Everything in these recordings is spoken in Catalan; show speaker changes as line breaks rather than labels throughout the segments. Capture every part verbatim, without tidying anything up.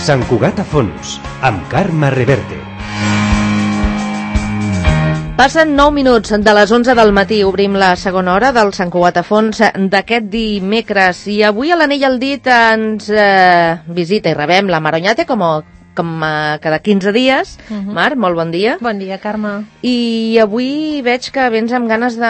Sant Cugat a fons, amb Carme Reverte.
Passen nou minuts de les onze del matí. Obrim la segona hora del Sant Cugat a fons d'aquest dimecres. I avui a l'Anell al Dit ens eh, visita i rebem la Mar Oñate com a com a cada quinze dies. Uh-huh. Mar, molt bon dia.
Bon dia, Carme.
I avui veig que vens amb ganes de,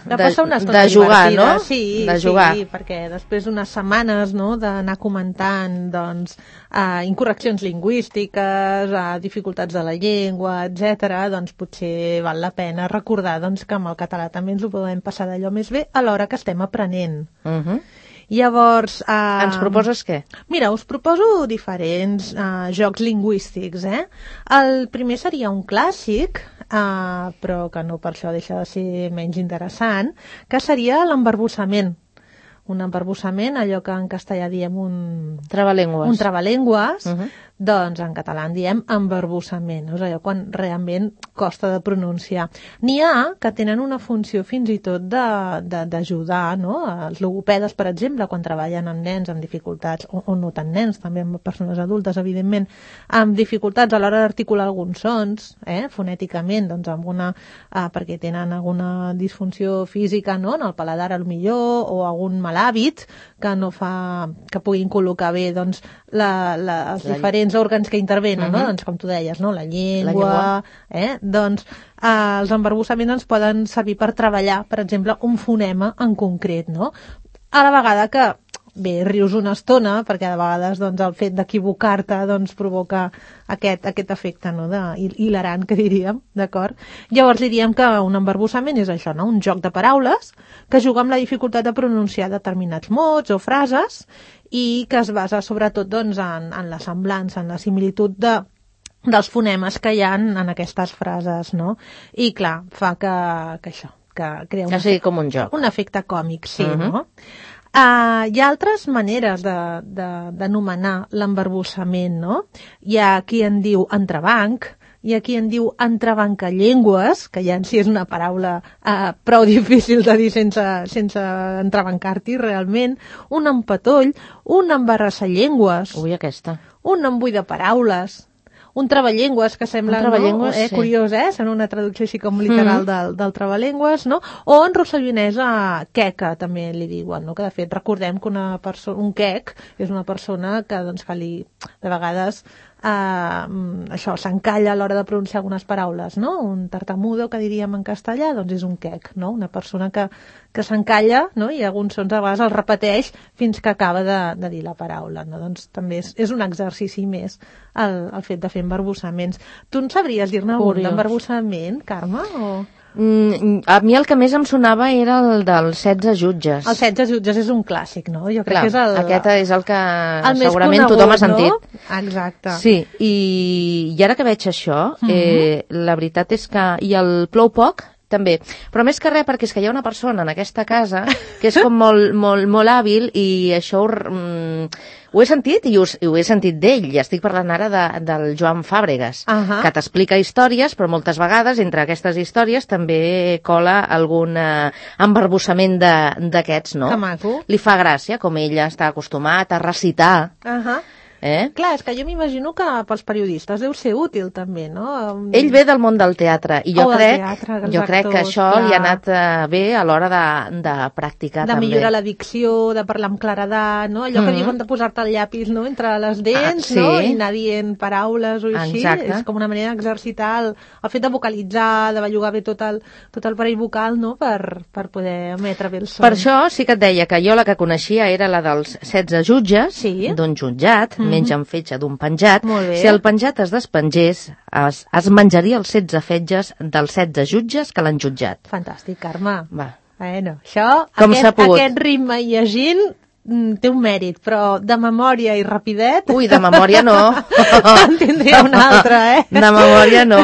de, de passar una estona
de jugar,
divertida.
No?
Sí,
de jugar.
Sí, perquè després d'unes setmanes, no, d'anar comentant doncs, uh, incorreccions lingüístiques, uh, dificultats de la llengua, etcètera, doncs potser val la pena recordar doncs, que amb el català també ens ho podem passar d'allò més bé a l'hora que estem aprenent. Uh-huh. Llavors... Uh,
Ens proposes què?
Mira, us proposo diferents uh, jocs lingüístics, eh? El primer seria un clàssic, uh, però que no per això deixa de ser menys interessant, que seria l'embarbussament. Un embarbussament, allò que en castellà diem un...
Trabalengües.
Un trabalengües, uh-huh. Doncs en català en diem embarbussament, és allò quan realment costa de pronunciar. N'hi ha que tenen una funció fins i tot d'ajudar, no? Els logopedes, per exemple, quan treballen amb nens amb dificultats, o, o no tant nens, també amb persones adultes, evidentment, amb dificultats a l'hora d'articular alguns sons, eh? Fonèticament, doncs amb una, eh, perquè tenen alguna disfunció física, no? En el paladar, al millor, o algun mal hàbit que no fa que puguin col·locar bé doncs, la, la, els la... diferents òrgans que intervenen, uh-huh. No? Doncs, com tu deies, no? La llengua, la llengua. Eh? Doncs eh, els embarbussaments ens poden servir per treballar, per exemple, un fonema en concret, no? A la vegada que, bé, rius una estona, perquè de vegades doncs, el fet d'equivocar-te doncs, provoca aquest, aquest efecte, no? De, hilarant, que diríem, d'acord? Llavors diríem que un embarbussament és això, no? Un joc de paraules que juga amb la dificultat de pronunciar determinats mots o frases i que es basa sobretot doncs, en, en la semblança, en la similitud de, dels fonemes que hi ha en, en aquestes frases, no? I clar, fa que, que això, que crea un,
que sigui com un joc.
Un efecte còmic, sí, uh-huh. No? Uh, hi ha altres maneres d'anomenar l'embarbussament, no? Hi ha qui en diu entrebanc, hi ha qui en diu entrebancallengües, que ja en si és una paraula uh, prou difícil de dir sense, sense entrebancar-t'hi realment, un empatoll, un embarrassallengües,
Ui, aquesta.
Un embull de paraules, un travallengües, que sembla no? eh, sí. Curiós, eh? Sembla una traducció així com literal mm-hmm. del, del travallengües, no? O en rossellonesa queca, també li diuen, no? Que de fet recordem que una persona, un quec és una persona que, doncs, que li, de vegades Uh, això, s'encalla a l'hora de pronunciar algunes paraules, no? Un tartamudo, que diríem en castellà, doncs és un quec, no? Una persona que, que s'encalla, no? I alguns sons a vegades els repeteix fins que acaba de, de dir la paraula, no? Doncs també és, és un exercici més el, el fet de fer embarbussaments. Tu en sabries dir-ne algun d'embarbussament, Carme, o...?
Mm, a mi el que més em sonava era el dels setze jutges.
Els setze jutges és un clàssic, no? Jo crec
Clar,
que és el...
aquest és el que
el
segurament
conegut,
tothom ha sentit.
No? Exacte.
Sí, i, i ara que veig això, mm-hmm. eh, la veritat és que... I el plou poc, també. Però més que res, perquè és que hi ha una persona en aquesta casa que és com molt, molt, molt hàbil i això ho, mm, ho he sentit i ho, ho he sentit d'ell. I estic parlant ara de, del Joan Fàbregas, uh-huh. que t'explica històries, però moltes vegades entre aquestes històries també cola algun eh, embarbussament d'aquests, no?
Que maco.
Li fa gràcia, com ell està acostumat a recitar.
Ahà. Uh-huh.
Eh?
Clar, és que jo m'imagino que pels periodistes deu ser útil també, no?
Ell ve del món del teatre i jo,
oh,
crec,
teatre,
jo crec que això clar. Li ha anat uh, bé a l'hora de, de practicar
de
també.
De millorar la dicció, de parlar amb claredat, no? Allò mm-hmm. que diuen de posar-te el llapis, no? Entre les dents, ah, sí. No? I anar dient paraules o així.
Exacte.
És com una manera d'exercitar el, el fet de vocalitzar, de bellugar bé tot el, tot el parell vocal, no? Per, per poder emetre bé el son.
Per això sí que et deia que jo la que coneixia era la dels setze jutges,
sí.
D'un jutjat, mm-hmm. menys en fetge d'un penjat.
Si
el penjat es despengés, es, es menjaria els setze fetges dels setze jutges que l'han jutjat.
Fantàstic, Carme.
Va.
Bueno, això,
com
aquest, aquest ritme i llegint té un mèrit, però de memòria i rapidet...
Ui, de memòria no.
En tindria una altra, eh?
De memòria no.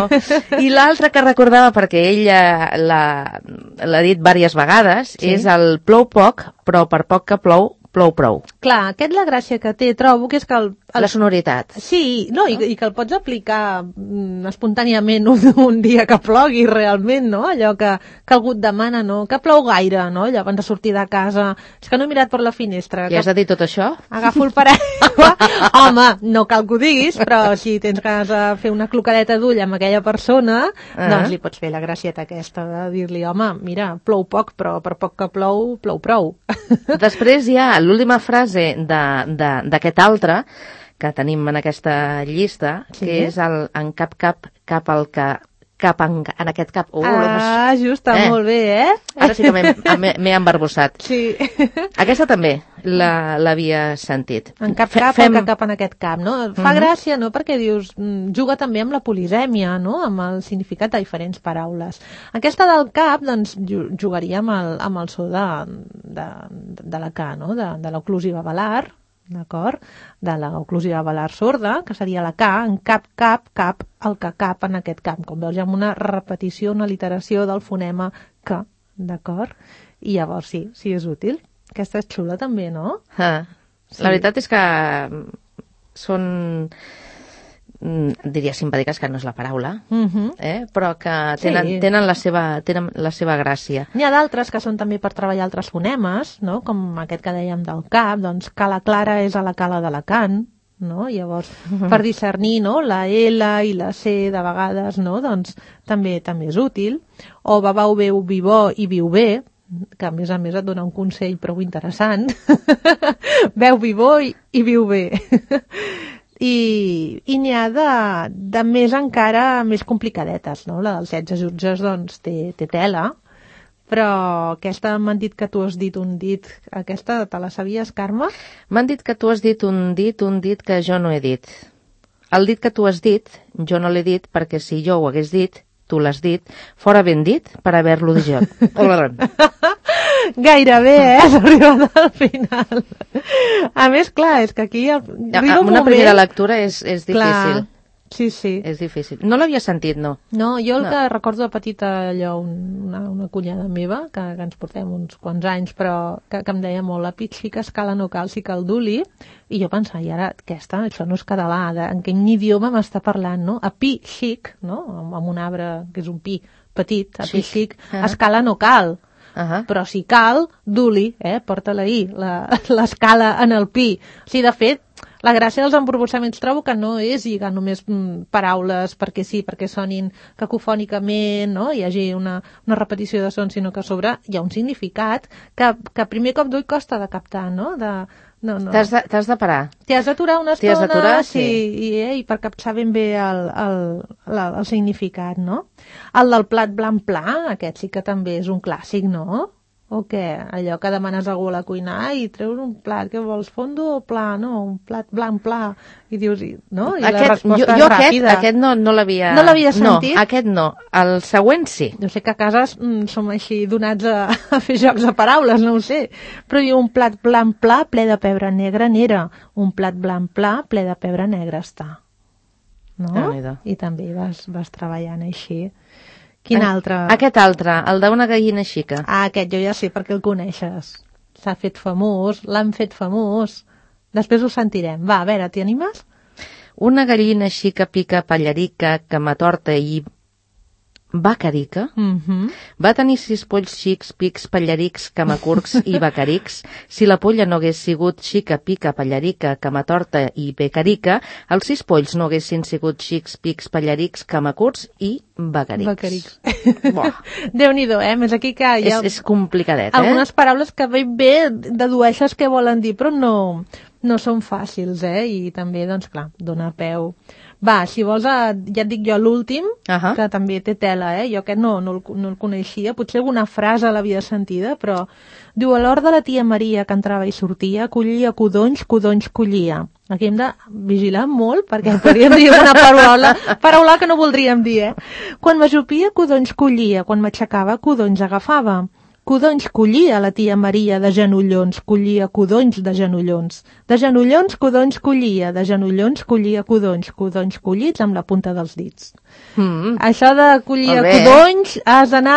I l'altra que recordava, perquè ell l'ha dit diverses vegades, sí. És el plou poc, però per poc que plou, plou prou.
Clar, aquest la gràcia que té, trobo, que és que el... el...
La sonoritat.
Sí, no, i, i que el pots aplicar mm, espontàniament un, un dia que plogui realment, no? Allò que, que algú et demana, no? Que plou gaire, no? Allò abans de sortir de casa. És que no he mirat per la finestra.
Ja has de dir tot això?
Agafo el paraigua. Home, no cal que ho diguis, però si tens ganes de fer una clocadeta d'ull amb aquella persona, uh-huh. doncs li pots fer la gracieta aquesta de dir-li, home, mira, plou poc, però per poc que plou, plou prou.
Després hi ha l'última frase d'aquest altre que tenim en aquesta llista, sí? Que és el en cap cap cap al que cap en, en aquest cap. Uh,
ah, just, està eh. molt bé, eh?
Ara sí que m'he embarbussat.
Sí.
Aquesta també l'havia sentit.
En cap cap Fem... el que cap en aquest cap, no? Fa uh-huh. gràcia, no?, perquè dius, juga també amb la polisèmia, no?, amb el significat de diferents paraules. Aquesta del cap, doncs, jugaria amb el, amb el so de, de, de la K, no?, de, de l'oclusiva velar, d'acord? De l'oclusiva velar sorda, que seria la K, en cap, cap, cap, el que cap en aquest cap. Com veus, hi ha una repetició, una literació del fonema K, d'acord? I llavors sí, sí és útil. Aquesta és xula també, no?
Ah, sí. La veritat és que són, diria simpàtiques, que no és la paraula, uh-huh. eh? però que tenen, sí. tenen, la seva, tenen la seva gràcia.
N'hi ha d'altres que són també per treballar altres fonemes, no? Com aquest que dèiem del cap, doncs cala clara és a la cala d'Alacant, no? Llavors, uh-huh. per discernir, no?, la L i la C de vegades, no?, doncs també també és útil. O babau, veu, vivó i viu bé, que a més a més et dona un consell prou interessant. Veu vivó i, i viu bé. I, i n'hi ha de, de més encara més complicadetes, no? La dels setze jutges, doncs, té, té tela, però aquesta m'han dit que tu has dit un dit. Aquesta te la sabies, Carme?
M'han dit que tu has dit un dit, un dit que jo no he dit. El dit que tu has dit, jo no l'he dit, perquè si jo ho hagués dit, tu l'has dit, fora ben dit per haver-lo dit jo.
Gairebé, eh? Has arribat al final. A més, clar, és que aquí... El...
Una moment... primera lectura és, és difícil.
Clar. Sí, sí.
És difícil. No l'havia sentit, no.
No, jo el no. que recordo de petita, allò, una, una cunyada meva, que, que ens portem uns quants anys, però que, que em deia molt, la pit sí que escala no cal, sí que el duli, i jo pensava, i ara, aquesta, això no és català, de, en quin idioma m'està parlant, no? A pi xic, no? Amb, amb un arbre que és un pi petit, a pi xic, uh-huh. escala no cal. Uh-huh. Però si cal, duli, eh? Porta-la ahí, l'escala en el pi. O sigui, de fet, la gràcia dels emborbossaments trobo que no és lligar només mm, paraules perquè sí, perquè sonin cacofònicament, no? Hi hagi una, una repetició de sons, sinó que a sobre hi ha un significat que, que a primer cop d'ull costa de captar, no? De, no, no.
T'has de, t'has de parar.
T'hi has d'aturar una estona,
d'aturar,
sí, sí. I, eh, i per captar ben bé el, el, el, el significat, no? El del plat blanc pla, aquest sí que també és un clàssic, no? O què? Allò que demanes a algú a la cuina i treus un plat, que vols fondo o pla? No, un plat blanc pla. I dius, no? I
aquest,
la resposta
jo, jo
és ràpida.
Aquest, aquest no, no l'havia...
No l'havia sentit?
No, aquest no. El següent sí.
Jo sé que a casa mm, som així donats a, a fer jocs de paraules, no ho sé. Però diu un plat blanc pla ple de pebre negre n'era. Un plat blanc pla ple de pebre negre està. No? I també vas, vas treballant així. Quin altre?
Aquest altre, el d'una gallina xica.
Ah, aquest jo ja sé perquè el coneixes. S'ha fet famós, l'han fet famós. Després ho sentirem. Va, a veure, t'hi animes?
Una gallina xica pica pallarica que m'atorta i bacarica.
Mm-hmm.
Va tenir sis polls xics, pics, pallarics, camacurcs i bacarics. Si la polla no hagués sigut xica, pica, pallarica, camatorta i becarica, els sis polls no haguessin sigut xics, pics, pallarics, camacurcs i bacarics.
Bacarics. Déu-n'hi-do, eh? Més aquí que hi ha...
És, és complicadet, eh?
Algunes paraules que ben bé dedueixes què volen dir, però no, no són fàcils, eh? I també, doncs clar, dona peu... Va, si vols, ja et dic jo l'últim, uh-huh. que també té tela, eh? Jo aquest no, no, el, no el coneixia, potser alguna frase l'havia sentida, però diu, a l'hora de la tia Maria que entrava i sortia, collia codonys, codonys collia. Aquí hem de vigilar molt, perquè podríem dir una paraula, paraula que no voldríem dir, eh? Quan m'ajupia, codonys collia, quan m'aixecava, codonys agafava. Codonys collia la tia Maria de genollons, collia codonys de genollons. De genollons, codonys collia, de genollons collia codonys, codonys collits amb la punta dels dits.
Mm.
Això de collir codonys has d'anar...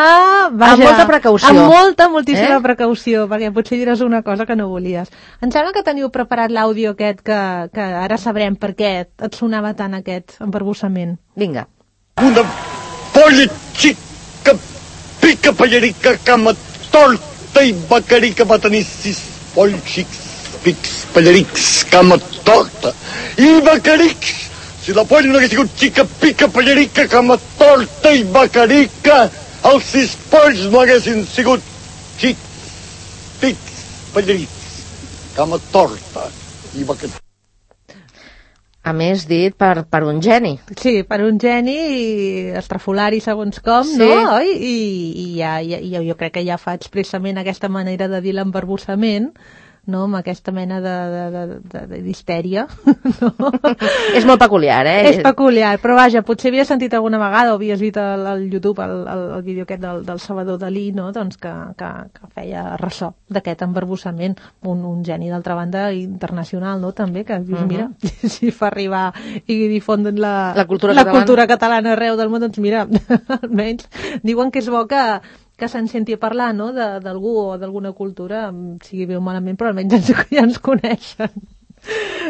Amb molta precaució.
Amb molta, moltíssima eh? precaució, perquè potser diràs una cosa que no volies. Em sembla que teniu preparat l'àudio aquest que, que ara sabrem per què et sonava tant aquest embarbussament.
Vinga.
Una polla xica, pica pallerica, cama torta i becarica va tenir sis polls xics, pics, pallerics, cama torta i becarics. Si la polla no hagués sigut xica, pica, pallerica, cama torta i becarica, els sis polls no haguessin sigut xics, pics, pallerics, cama torta i becarica.
A més, dit per, per un geni.
Sí, per un geni estrafolari segons com, sí. No? I, i ja, ja, jo crec que ja fa expressament aquesta manera de dir l'embarbussament, no? Amb aquesta mena de, de, de, de, de d'histèria. No?
És molt peculiar, eh?
És peculiar, però vaja, potser havies sentit alguna vegada o havies vist al, al YouTube el, el, el vídeo aquest del, del Salvador Dalí, no? Doncs que, que, que feia ressò d'aquest embarbussament, un, un geni d'altra banda internacional, no? També, que dius, uh-huh. Mira, si fa arribar i difondre la,
la, cultura,
la
catalana.
cultura catalana arreu del món, doncs mira, almenys diuen que és bo que que se'n senti a parlar, no?, d'algú o d'alguna cultura, sigui bé o malament, però almenys ens, ja ens coneixen.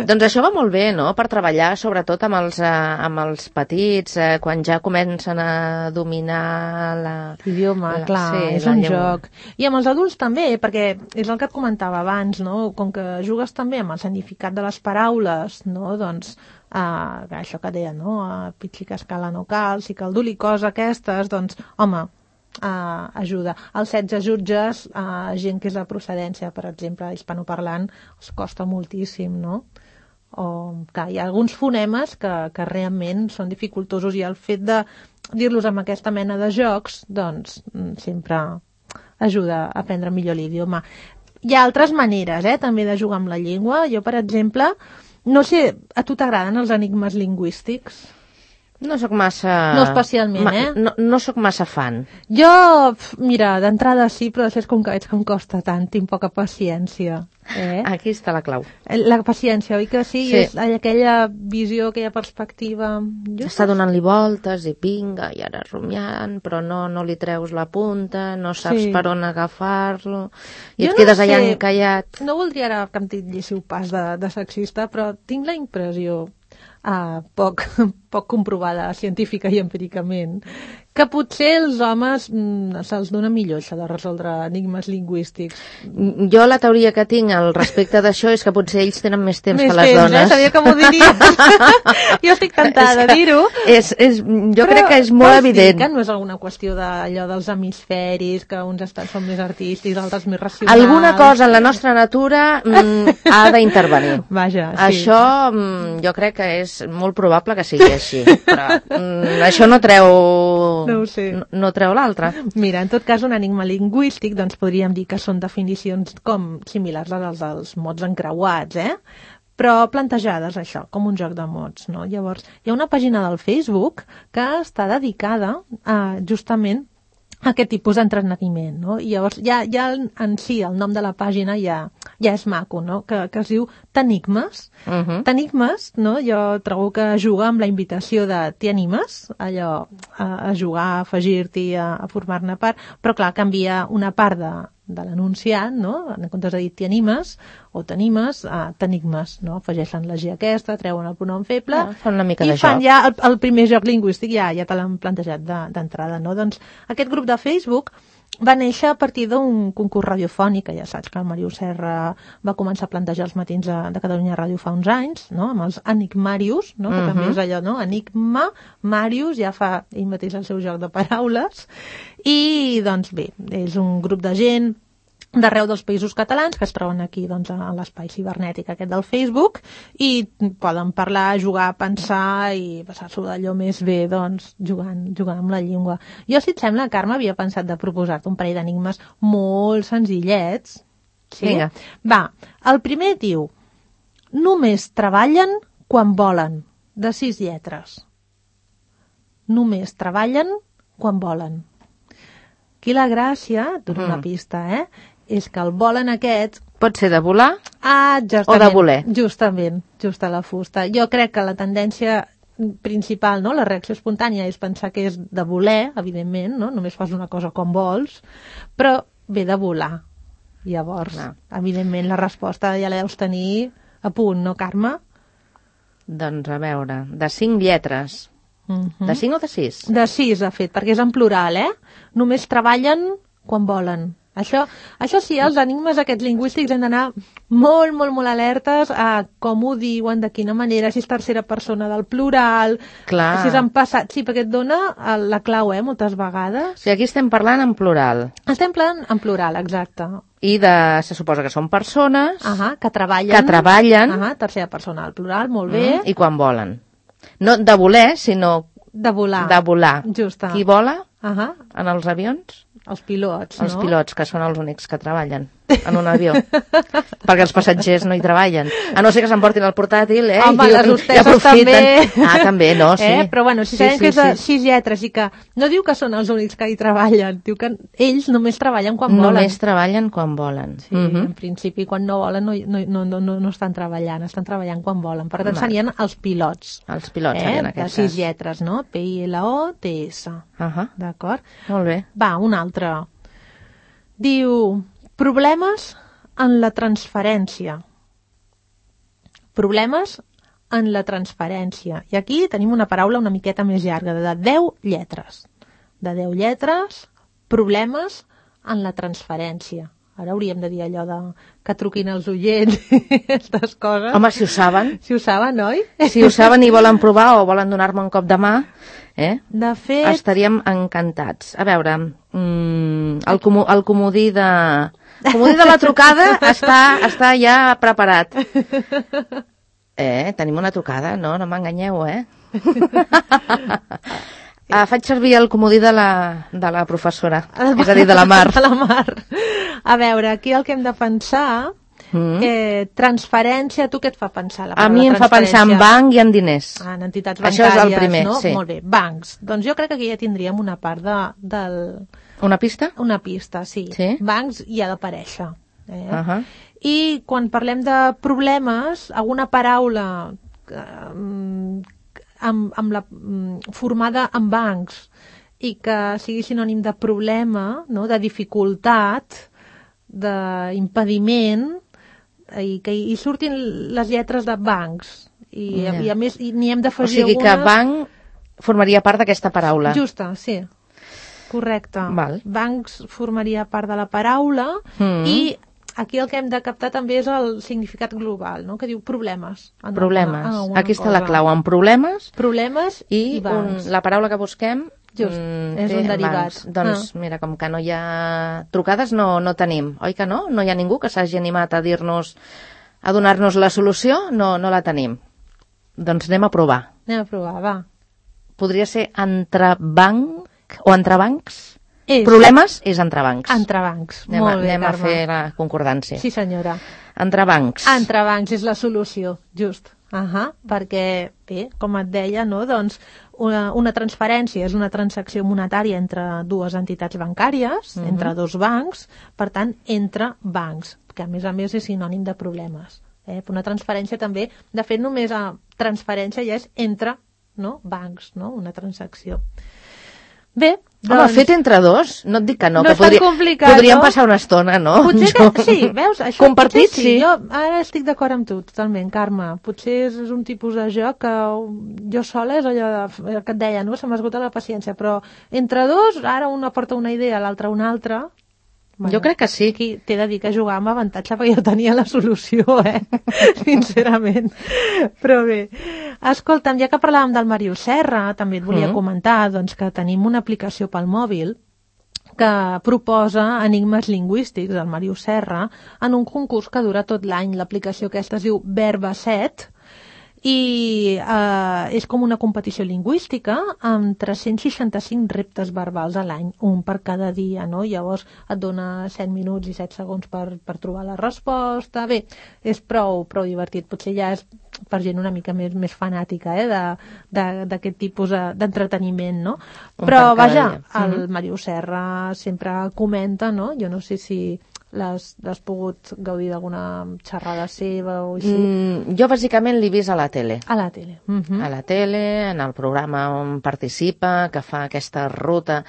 Doncs això va molt bé, no?, per treballar sobretot amb els, eh, amb els petits, eh, quan ja comencen a dominar la...
l'idioma, clar, sí, és un llengua. Joc. I amb els adults també, perquè és el que et comentava abans, no?, com que jugues també amb el significat de les paraules, no?, doncs... Uh, això que deia, no?, uh, pitxi que escala no cal, si cal dur-li cosa aquestes, doncs, home... Uh, ajuda. Els setze jutges, uh, gent que és de procedència, per exemple, hispanoparlant, els costa moltíssim, no? O, clar, hi ha alguns fonemes que, que realment són dificultosos i el fet de dir-los amb aquesta mena de jocs, doncs, sempre ajuda a aprendre millor l'idioma. Hi ha altres maneres, eh, també de jugar amb la llengua. Jo, per exemple, no sé, a tu t'agraden els enigmes lingüístics?
No sóc massa...
No especialment,
ma...
eh?
No, no sóc massa fan.
Jo, mira, d'entrada sí, però després com que veig que em costa tant, tinc poca paciència. Eh?
Aquí està la clau.
La paciència, oi que sí?
Sí.
És aquella visió, aquella perspectiva... Jo
Està donant-li voltes i pinga, i ara rumiant, però no, no li treus la punta, no saps sí. per on agafar-lo, i jo et quedes no allà sé, encallat.
No voldria ara que em titlléssiu pas de, de sexista, però tinc la impressió... Uh, poc, poc comprovada científica i empíricament, que potser els homes mm, se'ls dona millor això de resoldre enigmes lingüístics.
Jo la teoria que tinc al respecte d'això és que potser ells tenen més temps
més
que les
temps,
dones.
Eh? Sabia que m'ho diries. Jo estic tentada de dir-ho.
És, és, jo
però
crec que és molt evident.
Que no és alguna qüestió d'allò dels hemisferis, que uns estan, són més artístics, altres més racionals.
Alguna cosa en la nostra natura mm, ha d'intervenir.
Vaja, sí.
Això mm, jo crec que és molt probable que sigui així. Però mm, això no treu...
No ho sé.
No, no treu l'altre.
Mira, en tot cas, un enigma lingüístic, doncs podríem dir que són definicions com similars a les dels mots encreuats, eh? Però plantejades, això, com un joc de mots, no? Llavors, hi ha una pàgina del Facebook que està dedicada a, justament, a aquest tipus d'entreteniment, no? I llavors, ja, ja en si, el nom de la pàgina ja, ja és maco, no? Que, que es diu Tenigmes. Uh-huh. Tenigmes, no? Jo trobo que juga amb la invitació de t'hi animes, allò, a, a jugar, a afegir-t'hi, a, a formar-ne part, però clar, canvia una part de, de l'anunciant, no? En comptes de dir t'hi animes o t'animes, a t'enigmes, no? Afegeixen la G aquesta, treuen el pronom feble,
ja, fan una mica
i
de
fan
joc.
ja el, el primer joc lingüístic, ja, ja te l'han plantejat d'entrada, no? Doncs aquest grup de Facebook va néixer a partir d'un concurs radiofònic, que ja saps que el Màrius Serra va començar a plantejar els matins de, de Catalunya Ràdio fa uns anys, no? Amb els Enigmàrius, no? Que uh-huh. també és allò, no? Enigma, Màrius, ja fa ell mateix el seu joc de paraules, i doncs bé, és un grup de gent d'arreu dels països catalans que es troben aquí doncs, a l'espai cibernètic aquest del Facebook i poden parlar, jugar, pensar i passar-s'ho d'allò més bé doncs, jugant, jugant amb la llengua. Jo, si et sembla, Carme, havia pensat de proposar-te un parell d'enigmes molt senzillets. Sí?
Vinga.
Va, el primer diu només treballen quan volen, de sis lletres. Només treballen quan volen. Aquí la gràcia, et dono
Mm.
una pista, eh? És que el volen aquest...
Pot ser de volar
Ah, justament.
o de voler.
Justament, just a la fusta. Jo crec que la tendència principal, no? La reacció espontània és pensar que és de voler, evidentment, no? Només fas una cosa com vols, però ve de volar. Llavors,
Clar.
evidentment, la resposta ja la deus tenir a punt, no, Carme?
Doncs a veure, de cinc lletres.
Mm-hmm.
De cinc o de sis?
De sis, de fet, perquè és en plural, eh? Només treballen quan volen. Això, això sí, els enigmes aquests lingüístics hem d'anar molt, molt, molt alertes a com ho diuen, de quina manera, si és tercera persona del plural,
Clar.
si és en passat... Sí, perquè et dona el- la clau, eh, moltes vegades.
O sigui, aquí estem parlant en plural.
Estem parlant en plural, exacte.
I de, se suposa que són persones
Ahà, que treballen.
que treballen
Ahà, tercera persona del plural, molt bé.
mm, i quan volen. No de voler, sinó
De volar.
de volar.
Justa.
Qui vola
Ahà,
en els avions?
els pilots,
Els
no?
pilots, que són els únics que treballen en un avió. Perquè els passatgers no hi treballen. A no ser que s'emportin el portàtil, eh?
Home,
i,
les
i
hostesses
aprofiten.
també.
Ah, també, no, sí.
Eh? Però bueno, si
Sí,
sabem
sí,
que és de
sí.
sis lletres i que no diu que són els únics que hi treballen, diu que ells només treballen quan volen.
Només treballen quan volen.
Sí,
Mhm.
en principi quan no volen no, no, no, no, no, no estan treballant, estan treballant quan volen. Per tant,
Vale.
serien els pilots.
Els pilots,
eh?
en
De
aquest
sis
cas.
lletres, no? P I L O T S.
Ahà,
D'acord?
molt bé.
Va, un altre. Diu, problemes en la transferència. Problemes en la transferència. I aquí tenim una paraula una miqueta més llarga, de deu lletres. De deu lletres, problemes en la transferència. Ara hauríem de dir allò de que truquin els oients i aquestes coses.
Home, si ho saben,
Si ho saben, oi?
si ho saben i volen provar o volen donar-me un cop de mà, eh?
De fet,
Estaríem encantats. A veure, mm, el, comú, el comodí de... El comodí de la trucada està, està ja preparat. Eh, tenim una trucada? No, no m'enganyeu, eh? ah, faig servir el comodí de la, de la professora, és a dir, de la Mar.
De la Mar. A veure, aquí el que hem de pensar...
Mm.
Eh, transferència, tu què et fa pensar? La
A mi em fa pensar en banc i en diners.
Ah, en entitats
Això
bancàries,
és el primer,
no?
sí.
Molt bé, bancs. Doncs jo crec que aquí ja tindríem una part de, del...
Una pista?
Una pista, sí.
Sí?
Bancs hi ha d'aparèixer. Eh?
Uh -huh.
I quan parlem de problemes, alguna paraula eh, amb, amb la, mm, formada en bancs i que sigui sinònim de problema, no? De dificultat, d'impediment, i que hi surtin les lletres de bancs. I,
Ja.
i a més i n'hi hem
O
d'afegir
sigui que
algunes...
banc formaria part d'aquesta paraula.
Justa, sí. Correcte.
Val.
Bancs formaria part de la paraula
Mm.
i aquí el que hem de captar també és el significat global, no? Que diu problemes. En
Problemes.
alguna- en alguna
Aquí està la
cosa.
clau, en problemes
Problemes i,
i
bancs.
un, la paraula que busquem
Just,
mm,
és
té
un derivat.
bancs. Doncs mira, com que no hi ha trucades no, no tenim, oi que no? No hi ha ningú que s'hagi animat a dir-nos, a donar-nos la solució, no, no la tenim. Doncs anem a provar.
Anem a provar, va.
Podria ser entrebanc o entrebancs?
És
Problemes és entrebancs.
entrebancs.
Anem,
Molt
a,
bé,
anem a
Carme.
fer la concordància.
Sí, senyora.
Entrebancs.
Entrebancs és la solució, just. Ahà, perquè, bé, com et deia, no? Doncs una, una transferència és una transacció monetària entre dues entitats bancàries,
Mhm.
entre dos bancs, per tant, entre bancs, que a més a més és sinònim de problemes. Eh? Una transferència també, de fet, només a transferència ja és entre, no? Bancs, no? Una transacció. Bé,
Home,
doncs...
fet entre dos, no et dic que no,
No
que
és tan
podria,
complicat,
podríem
no?
passar una estona, no?
Potser que, sí, veus, això
Compartit,
potser
sí.
Jo ara estic d'acord amb tu, totalment, Carme. Potser és, és un tipus de joc que jo sola és allò de, el que et deia, no? Se m'esgota la paciència, però entre dos, ara una porta una idea, l'altra una altra.
Jo crec que sí.
Aquí t'he de dir que jugar amb avantatge perquè jo tenia la solució, eh? Sincerament. Però bé, escolta'm, ja que parlàvem del Màrius Serra, també et volia
Mm.
comentar doncs, que tenim una aplicació pel mòbil que proposa enigmes lingüístics del Màrius Serra en un concurs que dura tot l'any. L'aplicació aquesta es diu Verba set i eh, és com una competició lingüística amb tres-cents seixanta-cinc reptes verbals a l'any, un per cada dia, no? Llavors et dona set minuts i set segons per, per trobar la resposta. Bé, és prou, prou divertit. Potser ja és per gent una mica més, més fanàtica, eh, d'aquest tipus d'entreteniment, no? Però, vaja, el Màrius Serra sempre comenta, no? Jo no sé si l'has pogut gaudir d'alguna xerrada seva o així.
Mm, jo bàsicament l'he vist a la tele.
A la tele. Uh-huh.
A la tele, en el programa on participa, que fa aquesta ruta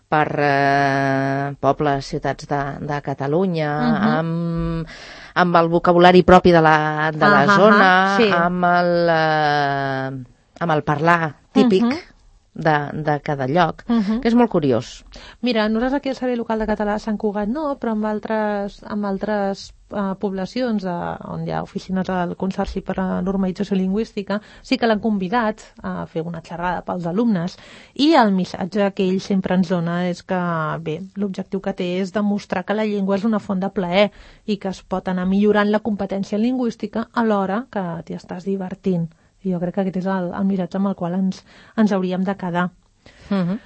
per eh, pobles, ciutats de, de Catalunya, uh-huh. amb, amb el vocabulari propi de la, de la uh-huh. zona, sí. amb, el, eh, amb el parlar típic, uh-huh. De, de cada lloc, uh-huh. que és molt curiós.
Mira, nosaltres aquí al Servei Local de Català a Sant Cugat no, però amb altres, amb altres uh, poblacions de, on hi ha oficines del Consorci per a la Normalització Lingüística sí que l'han convidat a fer una xerrada pels alumnes i el missatge que ell sempre ens dona és que, bé, l'objectiu que té és demostrar que la llengua és una font de plaer i que es pot anar millorant la competència lingüística alhora que t'hi estàs divertint. I jo crec que aquest és el, el missatge amb el qual ens, ens hauríem de quedar.
Uh-huh.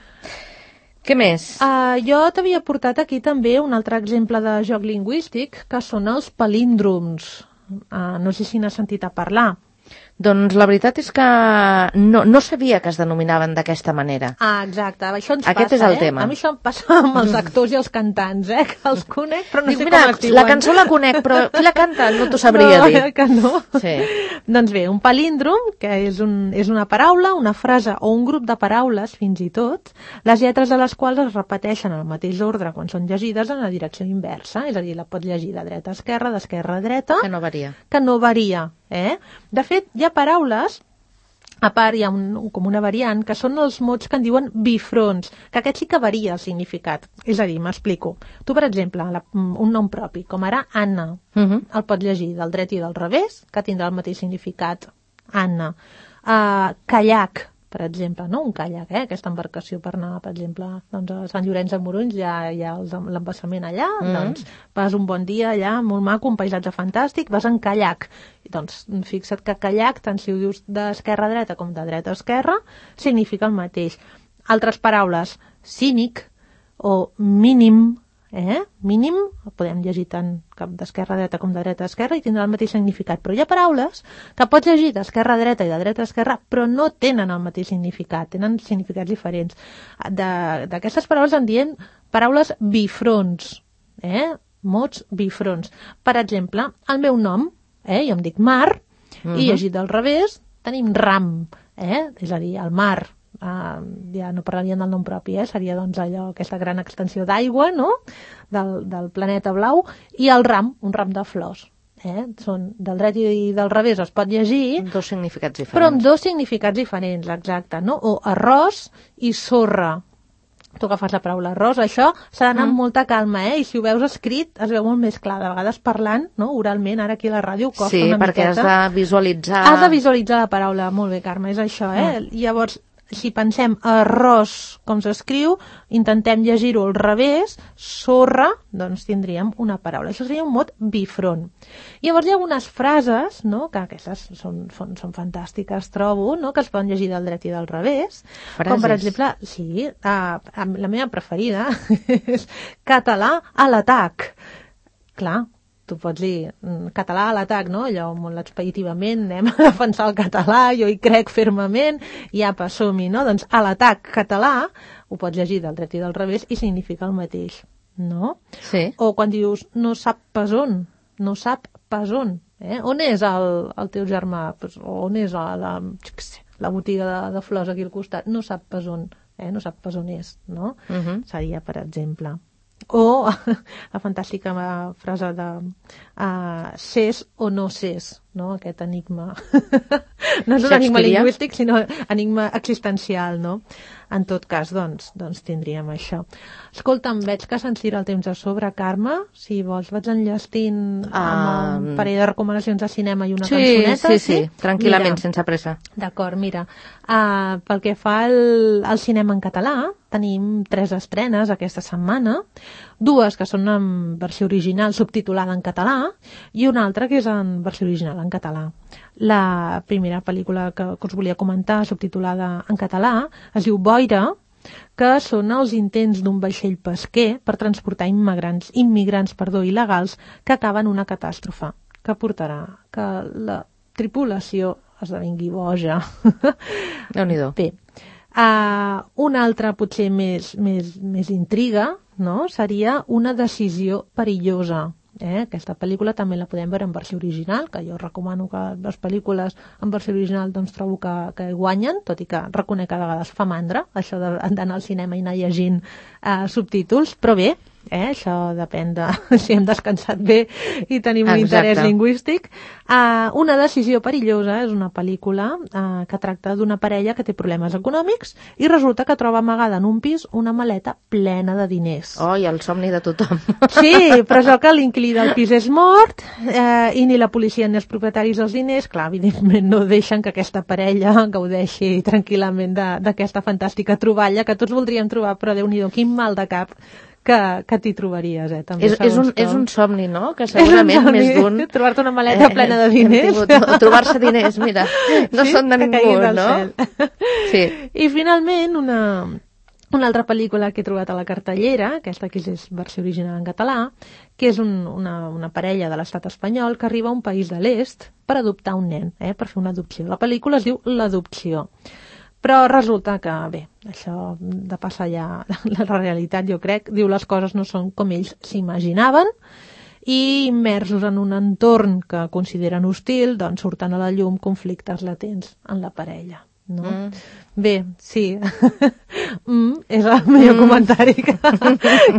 Què més?
Uh, jo t'havia portat aquí també un altre exemple de joc lingüístic, que són els palíndroms. Uh, no sé si n'has sentit a parlar.
Doncs la veritat és que no, no sabia que es denominaven d'aquesta manera.
Ah, exacte. Això ens
Aquest
passa,
és el
eh?
tema.
A mi això em passa amb els actors i els cantants, eh? Que els conec, però no
Dic,
sé
mira,
com es diuen.
la cançó la conec, però qui la canta no t'ho sabria
no,
dir.
Que no.
Sí.
Doncs bé, un palíndrom, que és, un, és una paraula, una frase o un grup de paraules, fins i tot, les lletres de les quals es repeteixen en el mateix ordre quan són llegides en la direcció inversa. És a dir, la pots llegir de dreta a esquerra, d'esquerra a dreta.
Que no varia.
Que no varia. Eh? De fet, hi ha paraules, a part hi ha un, com una variant, que són els mots que en diuen bifronts, que aquest sí que varia el significat. És a dir, m'explico. Tu, per exemple, la, un nom propi, com ara Anna, uh-huh. el pots llegir del dret i del revés, que tindrà el mateix significat, Anna. Uh, Kayak, per exemple, no? Un kayak, eh? Aquesta embarcació per anar, per exemple, doncs, a Sant Llorenç de Morunys, hi ha, hi ha l'embassament allà, mm. doncs vas un bon dia allà, molt maco, un paisatge fantàstic, vas en kayak. I, doncs fixa't que kayak, tant si ho dius d'esquerra a dreta com de dreta a esquerra, significa el mateix. Altres paraules, cínic o mínim, eh? Mínim, el podem llegir tant d'esquerra a dreta com de dreta a esquerra i tindrà el mateix significat. Però hi ha paraules que pots llegir d'esquerra a dreta i de dreta a esquerra, però no tenen el mateix significat, tenen significats diferents. D'aquestes paraules en diem paraules bifronts, eh? Mots bifronts. Per exemple, el meu nom, eh? Jo em dic Mar, uh-huh. i llegit del revés tenim Ram, eh? És a dir, el mar. Uh, ja no parlarien del nom propi, eh? Seria doncs allò, aquesta gran extensió d'aigua, no? Del, del planeta blau, i el ram, un ram de flors. Eh? Són del dret i del revés, es pot llegir,
dos significats diferents.
Però amb dos significats diferents, exacte, no? O arròs i sorra. Tu agafes la paraula arròs, això s'ha d'anar amb
mm.
molta calma, eh? I si ho veus escrit es veu molt més clar. De vegades parlant, no? Oralment, ara aquí a la ràdio costa
sí,
una miqueta.
Sí, perquè has de visualitzar...
Has de visualitzar la paraula. Molt bé, Carme, és això, eh? Mm. Llavors, si pensem arròs com s'escriu, intentem llegir-ho al revés, sorra, doncs tindríem una paraula. Això seria un mot bifront. Llavors hi ha algunes frases, no?, que aquestes són, són, són fantàstiques, trobo, no?, que es poden llegir del dret i del revés.
Frases.
Com per exemple, sí, uh, la meva preferida és català a l'atac. Clar, tu pots dir català a l'atac, no? Allò molt expeditivament, anem a defensar el català, jo hi crec fermament, i apa, som-hi, no? Doncs a l'atac català ho pots llegir del dret i del revés i significa el mateix, no?
Sí.
O quan dius no sap pas on, no sap pas on, eh? On és el, el teu germà? Pues, on és la, la, la botiga de, de flors aquí al costat? No sap pas on, eh? No sap pas on és, no? Uh-huh. Seria, per exemple... O la fantàstica frase de uh, ses o no ses, no? Aquest enigma. No és un enigma lingüístic, sinó enigma existencial, no? En tot cas, doncs, doncs tindríem això. Escolta'm, veig que se'ns tira el temps a sobre, Carme. Si vols, vaig enllestint uh... amb un parell de recomanacions de cinema i una
sí,
cançoneta.
Sí, sí, sí, tranquil·lament, mira, sense pressa.
D'acord, mira. Uh, pel que fa al, al cinema en català, tenim tres estrenes aquesta setmana, dues que són en versió original subtitulada en català i una altra que és en versió original en català. La primera pel·lícula que, que us volia comentar, subtitulada en català, es diu Boira, que són els intents d'un vaixell pesquer per transportar immigrants, immigrants perdó, il·legals que acaben una catàstrofe que portarà que la tripulació esdevingui boja.
Déu-n'hi-do.
Bé, uh, una altra potser més, més, més intriga, no? Seria una decisió perillosa. Eh? Aquesta pel·lícula també la podem veure en versió original, que jo recomano que les pel·lícules en versió original doncs trobo que, que guanyen, tot i que reconec que a vegades fa mandra això d'anar al cinema i anar llegint eh, subtítols, però bé, eh? Això depèn de si hem descansat bé i tenim un
Exacte.
interès lingüístic. Uh, una decisió perillosa és una pel·lícula uh, que tracta d'una parella que té problemes econòmics i resulta que troba amagada en un pis una maleta plena de diners.
Oh, i el somni de tothom.
Sí, però és el que l'inquilí del pis és mort eh, i ni la policia ni els propietaris dels diners, clar, evidentment no deixen que aquesta parella gaudeixi tranquil·lament d'aquesta fantàstica troballa que tots voldríem trobar, però Déu-n'hi-do, quin mal de cap que, que t'hi trobaries, eh? També,
és, és, un,
com.
és un somni, no? Que segurament
somni,
més d'un...
trobar-te una maleta eh, plena de diners.
Tingut, trobar-se diners, mira, no
sí,
són de ningú, no? Sí.
I finalment una... Una altra pel·lícula que he trobat a la cartellera, aquesta que és versió original en català, que és un, una, una parella de l'estat espanyol que arriba a un país de l'est per adoptar un nen, eh, per fer una adopció. La pel·lícula es diu L'adopció. Però resulta que, bé, això de passar ja la realitat, jo crec, diu les coses no són com ells s'imaginaven i immersos en un entorn que consideren hostil, doncs surten a la llum conflictes latents en la parella. No? Mm. Bé, sí, mm, és el millor mm. comentari que,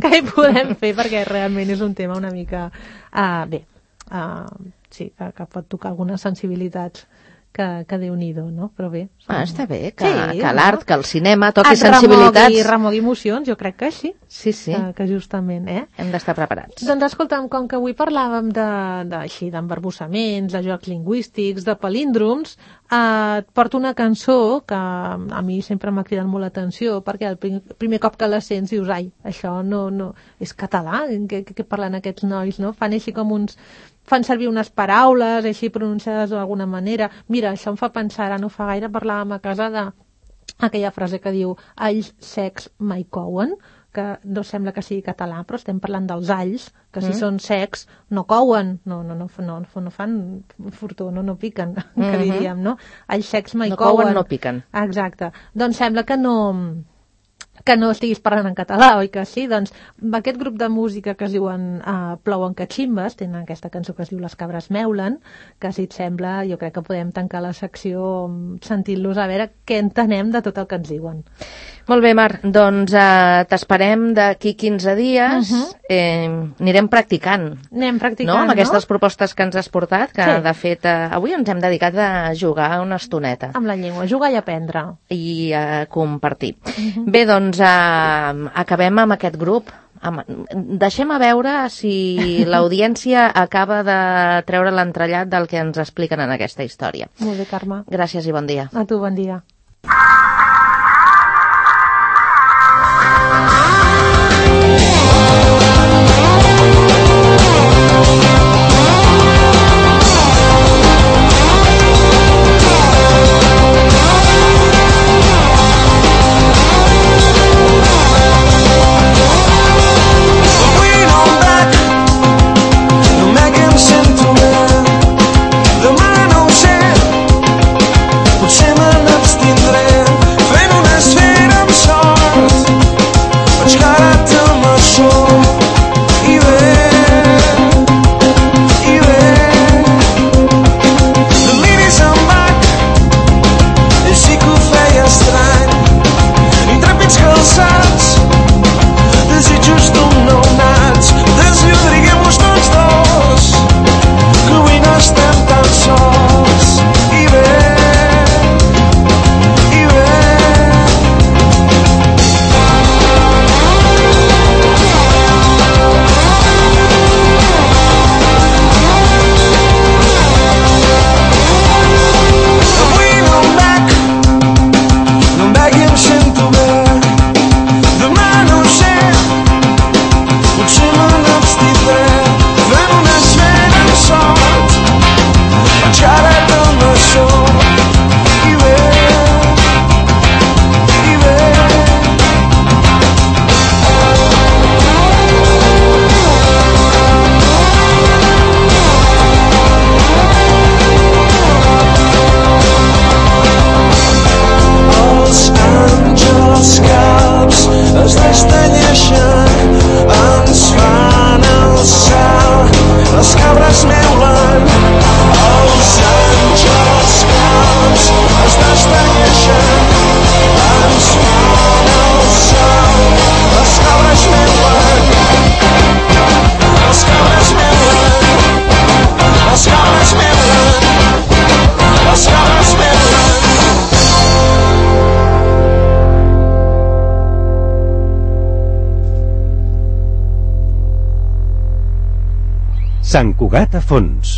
que hi podem fer perquè realment és un tema una mica, uh, bé, uh, sí, que, que pot tocar algunes sensibilitats que, que Déu-n'hi-do, no? Però bé. Som...
Ah, està bé, que,
sí,
que l'art, no? Que el cinema toqui
et
sensibilitats.
Remogui, remogui emocions, jo crec que sí.
Sí, sí.
Que, que justament, eh?
Hem d'estar preparats.
Doncs escolta'm, com que avui parlàvem de, de, així, d'embarbussaments, de jocs lingüístics, de palíndroms, eh, et porto una cançó que a mi sempre m'ha cridat molt l'atenció, perquè el primer, primer cop que la sents dius, ai, això no, no és català, què, què parlen aquests nois, no? Fan així com uns... fan servir unes paraules així pronunciades d'alguna manera. Mira, això em fa pensar, ara no fa gaire parlàvem a casa de aquella frase que diu alls secs mai couen, que no sembla que sigui català, però estem parlant dels alls, que si mm. són secs no couen, no, no, no, no, no fan fortó, no, no piquen, mm-hmm. que diríem, no? Alls secs mai
no
couen.
couen, no piquen.
Exacte. Doncs sembla que no... que no estiguis parlant en català, oi que sí? Doncs aquest grup de música que es diuen uh, Plouen Cachimbes, tenen aquesta cançó que es diu Les cabres meulen, que si et sembla jo crec que podem tancar la secció sentint-los a veure què entenem de tot el que ens diuen.
Molt bé, Mar, doncs uh, t'esperem d'aquí quinze dies, uh-huh. eh, anirem practicant.
Anem practicant,
no? Amb
no?
aquestes propostes que ens has portat, que
sí.
de fet uh, avui ens hem dedicat a jugar una estoneta.
Amb la llengua, jugar i aprendre.
I a uh, compartir. Uh-huh. Bé, doncs uh, acabem amb aquest grup. Deixem a veure si l'audiència acaba de treure l'entrellat del que ens expliquen en aquesta història.
Molt bé, Carme.
Gràcies i bon dia.
A tu, bon dia.
Demà no ho sé, potser me n'abstindré.
Sant Cugat a fons.